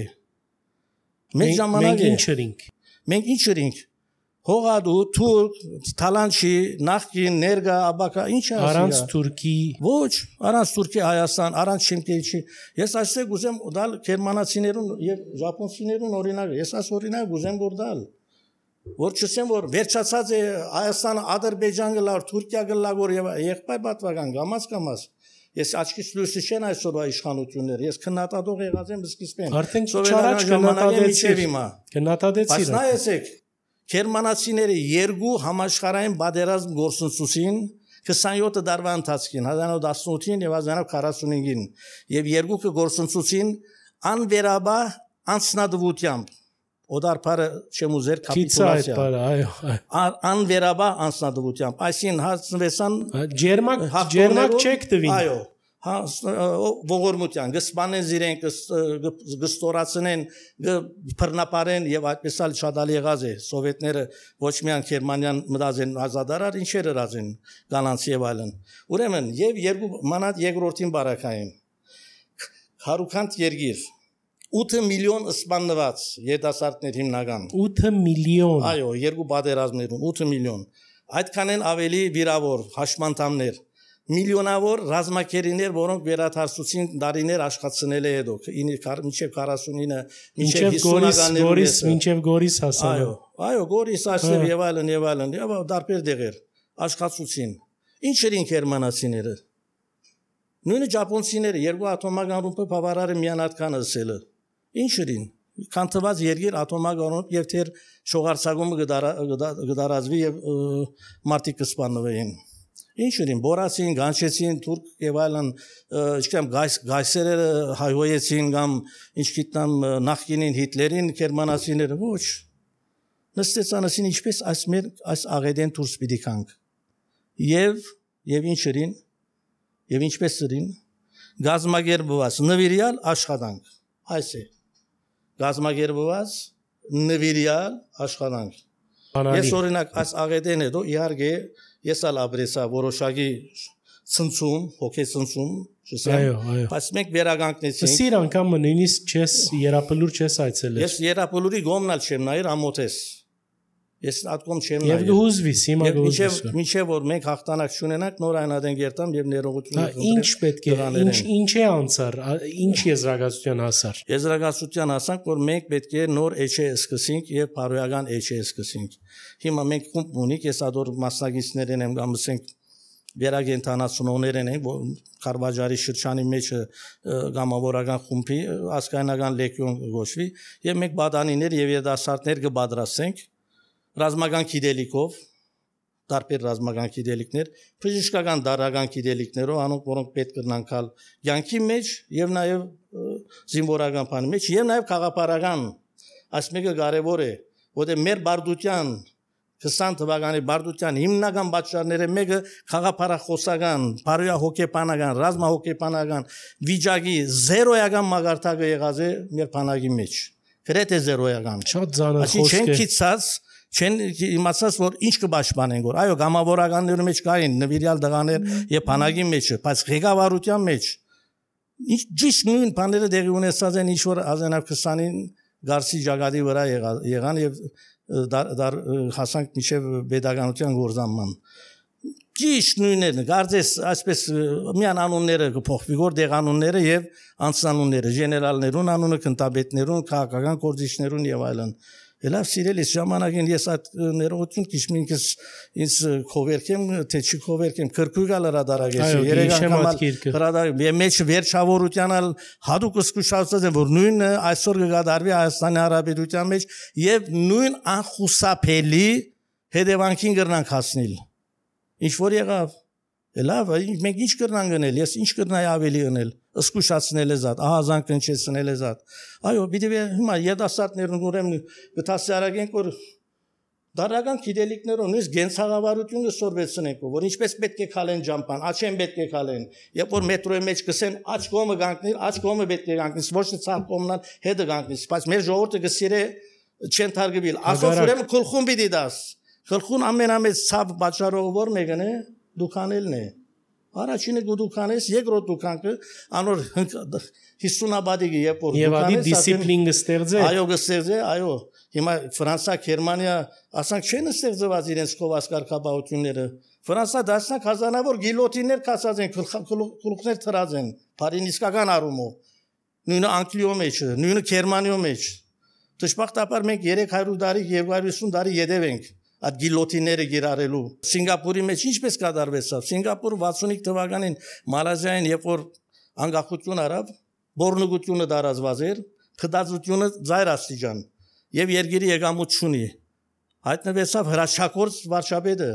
Մեծ ժամանակ է։ Մենք ինչ էինք։ Մենք ինչ էինք։ Հողադու, թուրք, թալանչի, նախկին, ներգա, աբակա, ինչ է ասիա։ Առանց Թուրքի։ Ոչ, առանց Թուրքի Հայաստան, առանց Շեմկեիչի։ Ես այսպես ուզեմ դալ գերմանացիներուն եւ ժապոնցիներուն օրինակ։ Ես այս օրինակ ուզեմ որ դալ։ Որ չսեմ որ վերջացած է Հայաստանը, Ադրբեջան գլար, Թուրքիա գլար որ եւ եղբայր պատվական գամած կամած։ Ես աչքից լույսի չեն այսօրվա իշխանությունները։ Ես քննադատող եղած եմ սկիզբեն։ Արդեն չարաճ քննադատեցի։ Քննադատեցի։ Բայց նայեցեք, գերմանացիները երկու համաշխարհային բادرազմ գործընծուսին քսանյոթ տարվա ընթացքին հազար նոց տասնութին եւ հազար նոց քառասունհինգին եւ երկուքը գործընծուսին անվերաբար անձնադվությամբ օդարփարը չեմ ուզեր կապիտուլյացիա այո անվերաբար անձնադվությամբ այսին հասնվեցան ջերմակ ջերմակ չեք տվին այո հա ողորմության գսպանեն զիրեն գստորացնեն բռնապարեն եւ այդպես էլ շատ ալ եղած է սովետները ոչ միայն Գերմանիան մտածեն ազատարար ինչեր հրազեն կանանց եւ այլն ուրեմն եւ երկու մանած երկրորդին բարակային հարուքանտ երգիր ութ միլիոն սպանված երիտասարդներ հիմնական ութ միլիոն այո երկու բادرազմներուն ութ միլիոն այդքան են ավելի վիրավոր հաշմանդամներ միլիոնավոր ռազմակերիներ որոնք վերաթարցուցին դարիներ աշխատել է հետո մինչև քառասունինը մինչև հիսունականներում մինչև Գորիս հասավ այո այո Գորիս ասել եւ այլն եւ այլն եւ դարբեր դեղեր աշխատացուցին ինչ էին գերմանացիները նույնը ճապոնցիները երկու ատոմական ռումբը բավարարը միան ատքան ասելը ինչ էին կանտված երգիր ատոմական ռումբ եւ թեր շողարցակումը գդարազվի եւ մարտիկ կսպանվեին ինչ էին բորացին գանչեցին թուրք եւ այլն ինչքան գայսերը հայոյեցին կամ ինչ գիտնամ նախկինին հիտլերին գերմանացիները ոչ նստեցանասին ինչպես այս մեր այս աղեդեն դուրս պիտի կանք եւ եւ ինչ էին եւ ինչպես էին գազագերբված նվիրյալ աշխատանք այս է գազագերբված նվիրյալ աշխատանք ես օրինակ այս աղեդեն հետո իհարկե ես ալ աբրեսա որոշակի ցնցում հոգե ցնցում այո այո բայց մենք վերագանքնեցինք սիր անգամ նույնիսկ չես երապլուր չես այցելել ես երապլուրի գոմնալ չեմ նայր ամոթես ես ատկոմ չեմ նայր եւ գուզվիս հիմա գուզվիս մինչեւ որ մենք հաղթանակ չունենանք նոր այնադեն գերտամ եւ ներողություն ինչ պետք է ինչ ինչ է անցար ինչ եզրակացության հասար եզրակացության հասանք որ մենք պետք է նոր էջե սկսենք եւ բարոյական էջե սկսենք հիմա մենք կումբ ունենք ես ադոր մասնագետներն եմ կամ ասենք վերագենտանացնողներն են Խարվաջարի շրջանի մեջ գամավորական խումբի ասկայնական լեկյոն գոշվի եւ մենք բադանիներ եւ երդասարտներ կբادرացենք ռազմական գիտելիքով տարբեր ռազմական գիտելիքներ բժշկական դարական գիտելիքներով անոնք որոնք պետք կնանքալ յանքի մեջ եւ նաեւ զինվորական բանի մեջ եւ նաեւ խաղապարական այս մեկը կարեւոր է որտեղ մեր բարդության քսան թվականի բարդության հիմնական պատճառները մեկը խաղապարախոսական, բարոյա հոգեբանական, ռազմահոգեբանական վիճակի զերոյական մագարտակը եղած է մեր բանակի մեջ գրեթե զերոյական շատ ծանր խոսք է չեն քիծած չեն իմացած որ ինչ կպաշտպանեն որ այո գամավորականների մեջ կային նվիրյալ դղաներ եւ բանակի մեջ բայց ղեկավարության մեջ ինչ ճիշտ նույն բաները դեղի ունեցած են ինչ որ ազենավ քսանին գարսի ճակատի վրա եղան եւ դար հասանք մինչև pedagogical գործանման ճիշտ նույնն է գարձես այսպես միան անունները կփոխվի որ դեղանունները եւ անձնանունները գեներալներուն անունը կնտաբետներուն քաղաքական գործիչներուն եւ այլն Լավ սիրելիս ժամանակին ես այդ ներողություն քիչմինքս ինձ քովերքեմ թե չի քովերքեմ քրկուգալ հրադարագեսի երեգան կամալ հրադար մեջ վերջավորությանալ հadouk սկսուշացած են որ նույն այսօր կգադարվի Հայաստանի Հանրապետության մեջ եւ նույն անխուսափելի հետևանքին կրնանք հասնել ինչ որ եղավ լավ մենք ինչ կրնանք գնել ես ինչ կրնայի ավելի գնել Սկուշացնել էզատ, ահազան կնչեցնել էզատ։ Այո, պիտի հիմա երդասարտներն ուրեմն գտասարակենք որ Դարական գիտելիքներով նույնիսկ գենցաղավարությունը սորվեցնենք, որ ինչպես պետք է քալեն ջամփան, աչեն պետք է քալեն, երբ որ մետրոյի մեջ կսեն աչ կողմը գանկնի, աչ կողմը պետք է գանկնի, ոչ թե ցավ կողմնան հետը գանկնի, բայց մեր ժողովուրդը գսիրե չեն թարգվել, ասած ուրեմն քլխուն պիտի դաս, քլխուն ամենամեծ ցավ պատճառով որ մեկն է դուքանելն է, առաջինը դուքան ես, երկրորդ դուքանը անոր հիսունաբադիկը երբ որ եւ ադի դիսցիպլին կստեղծե, այո կստեղծե, այո Հիմա Ֆրանսա, Գերմանիա, ասանք չեն ստեղծված իրենց կովաս կարգապահությունները։ Ֆրանսա դասնակ հազարավոր գիլոտիններ կասած են, գլուխներ թրած են, բարին իսկական առումով։ Նույնը Անգլիո մեջ, նույնը Գերմանիո մեջ։ Դժբախտաբար մենք երեք հարյուր տարի, երկու հարյուր ութ տարի յետև ենք այդ գիլոտինները գիրառելու։ Սինգապուրի մեջ ինչպես կատարվեցավ։ Սինգապուրը վաթսունհինգ թվականին Մալազիային, երբ որ անկախություն արավ, բորնուգությունը դարազված էր, թդածությունը ծայր աստիճան Եվ երգերի եկամուտ չունի։ Հայտնվեցավ հրաշագործ վարչապետը,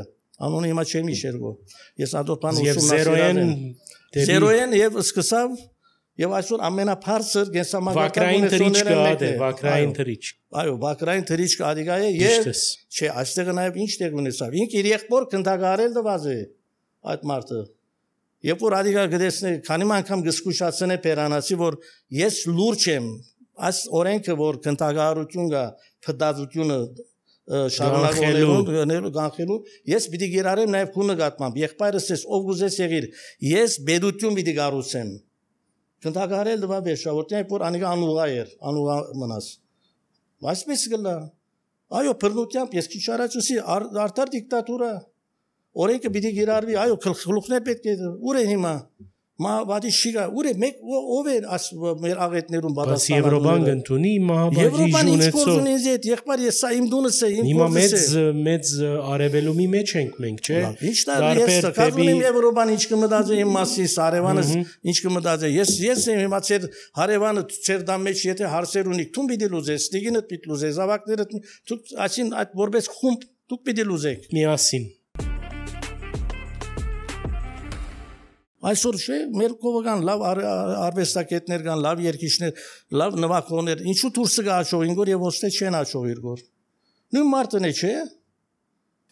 անունը հիմա չեմ հիշերգո։ Ես ադոպան ուսումնասիրել եմ։ Զերոեն եւ սկսավ եւ այսօր ամենաբարձր գենսամագարտական ունեցողները Վակրային թրիչք։ Այո, Վակրային թրիչքը ադիգա է եւ չէ, այստեղ նաեւ ինչ տեղ ունեցավ։ Ինք իր եղբոր քննադարել դված է այդ մարդը։ Երբ որ ադիգա գտեսնե, քանի անգամ գսկուշացնե Պերանացի, որ ես լուրջ եմ Այս օրենքը որ քննադարություն կա փդածությունը շարունակելու գանխելու ես պիտի գերարեմ նաև քու նկատմամբ եղբայրս ես ով գուզես եղիր ես բեդություն պիտի գառուցեմ քննադարել դվա վերջավորտի որ անիկա անուղա էր անուղա մնաս այսպես գլա այո բռնությամբ ես քիչ առաջ ասի արդար դիկտատուրա օրենքը պիտի գերարվի այո գլուխներ պետք է ուր է հիմա Մա վադի շիգա ուր է մեկ ով է աս մեր աղետներուն պատասխանը Եվրոպան ընդունի մահաբաժի ունեցող Եվրոպան եղբայր ես սա իմ դունս է իմ Հիմա մեծ մեծ արևելումի մեջ ենք մենք չէ Ինչ դա ես կազմում Եվրոպան ինչ կմտածի իմ մասից արևանս ինչ կմտածի ես ես եմ հիմա ծեր հարևանը ծեր դամ մեջ եթե հարցեր ունի թուն պիտի լուզես ստիգինը պիտի լուզես զավակները դուք ասին այդ որպես խումբ դուք պիտի լուզեք միասին Այսօր չէ, մեր կողական լավ արվեստագետներ կան, լավ երգիչներ, լավ նվագողներ, ինչու դուրսը գա աչողին գոր եւ ոստե չեն աչողիր գոր։ Նույն մարդն է, չէ։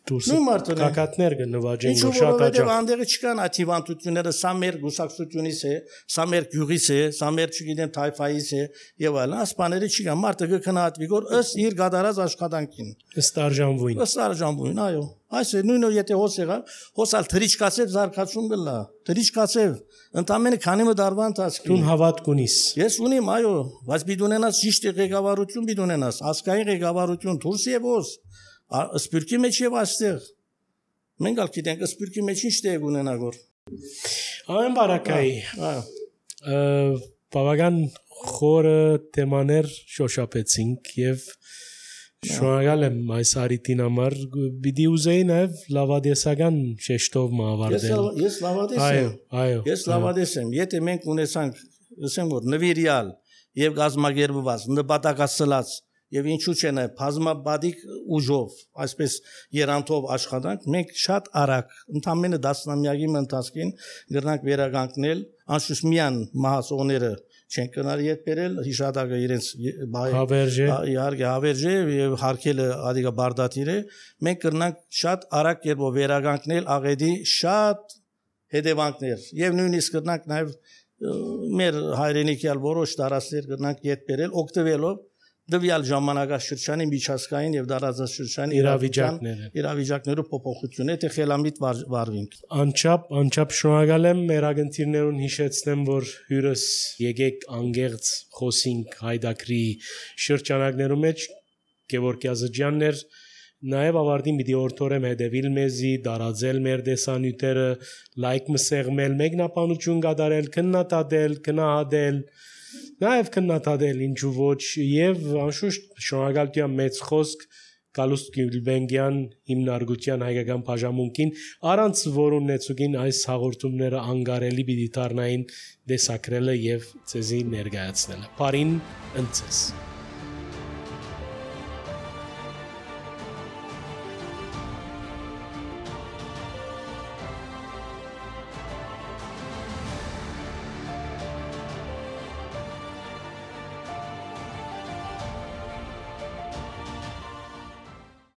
Դուրսը կակատներ կնվաճեն գոր շատ աջակ։ Անդեղը չկան աթիվանտությունները, սա մեր գուսակցությունից է, սա մեր գյուղից է, սա մեր չգիտեմ թայֆայից է եւ այլն, ասպաները չկան, մարդը կքնահատվի գոր ըստ իր գադարած աշխատանքին։ Ըստ արժանվույն։ Ըստ արժանվույն, այո։ Այս է նույնը եթե հոս եղավ, հոսալ թրիչկացև զարգացում գլա, թրիչկացև, ընդամենը քանի մը դարվա ընթացքում։ Դուն հավատք ունիս։ Ես ունիմ, այո, բայց պիտի ունենաս ճիշտ ղեկավարություն պիտի ունենաս, ազգային ղեկավարություն, դուրս եւ հոս, սպիրկի մեջ եւ այստեղ։ Մենք ալ գիտենք, սպիրկի մեջ ինչ տեղ ունենա գոր։ Ամեն բարակայի։ Այո։ Բավական խորը թեմաներ շոշափեցինք եւ Շնորհակալ եմ այս արիտին համար, պիտի ուզեի նաև լավադեսական շեշտով մավարտել։ Ես լավադես եմ։ Այո, այո։ Ես լավադես եմ։ Եթե մենք ունեցանք, ասեմ որ նվիրյալ եւ գազագերբված, նպատակասլաց եւ ինչու՞ չէ նաև բազմաբադիկ ուժով, այսպես երանտով աշխատանք, մենք շատ արագ, ընդամենը տասնամյակի ընթացքին գրնանք վերականգնել անշուշտ միան մահացողները չեն կնարի հետ բերել հիշադակը իրենց հավերժե իհարկե հավերժե եւ հարկելը ադիգա բարդատիր է մենք կրնանք շատ արագ կերպով վերականգնել աղետի շատ հետևանքներ եւ նույնիսկ կրնանք նաեւ մեր հայրենիքյալ որոշ տարածքներ կրնանք հետ բերել օգտվելով դվյալ ժամանակաշրջանի միջազգային եւ դարաձաշրջանի իրավիճակները իրավիճակներով փոփոխություն է թե խելամիտ վարվինք անչափ անչափ շնորհակալ եմ մեր ագընտիրներուն հիշեցնեմ որ հյուրս եկեք անգերց խոսինք հայդակրի շրջանակներում մեջ Գևորգ Յազջյաններ նաև ավարտին պիտի օրթորեմ հետևիլ մեզի դարաձել մեր դեսանյութերը լայք մսեղմել մեկնաբանություն կատարել քննադատել քնահատել Նաև քննադատել ինչու ոչ եւ անշուշտ շնորհակալություն մեծ խոսք Գալուստ Գյուլբենգյան հիմնարկության հայկական բաժանմունքին առանց որոնեցուկին այս հաղորդումները անգարելի պիտի դառնային դեսակրելը եւ ցեզի ներկայացնելը։ Բարին ընծես